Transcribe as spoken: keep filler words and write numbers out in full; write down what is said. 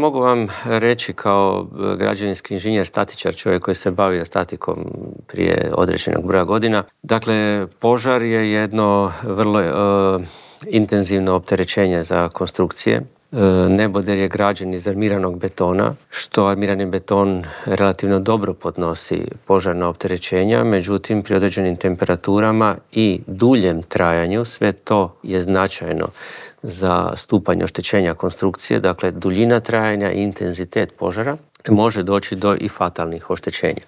Mogu vam reći kao građevinski inženjer, statičar, čovjek koji se bavio statikom prije određenog broja godina. Dakle, požar je jedno vrlo uh, intenzivno opterećenje za konstrukcije. Neboder je građen iz armiranog betona, što armirani beton relativno dobro podnosi požarna opterećenja, međutim pri određenim temperaturama i duljem trajanju sve to je značajno za stupanj oštećenja konstrukcije, dakle duljina trajanja i intenzitet požara može doći do i fatalnih oštećenja.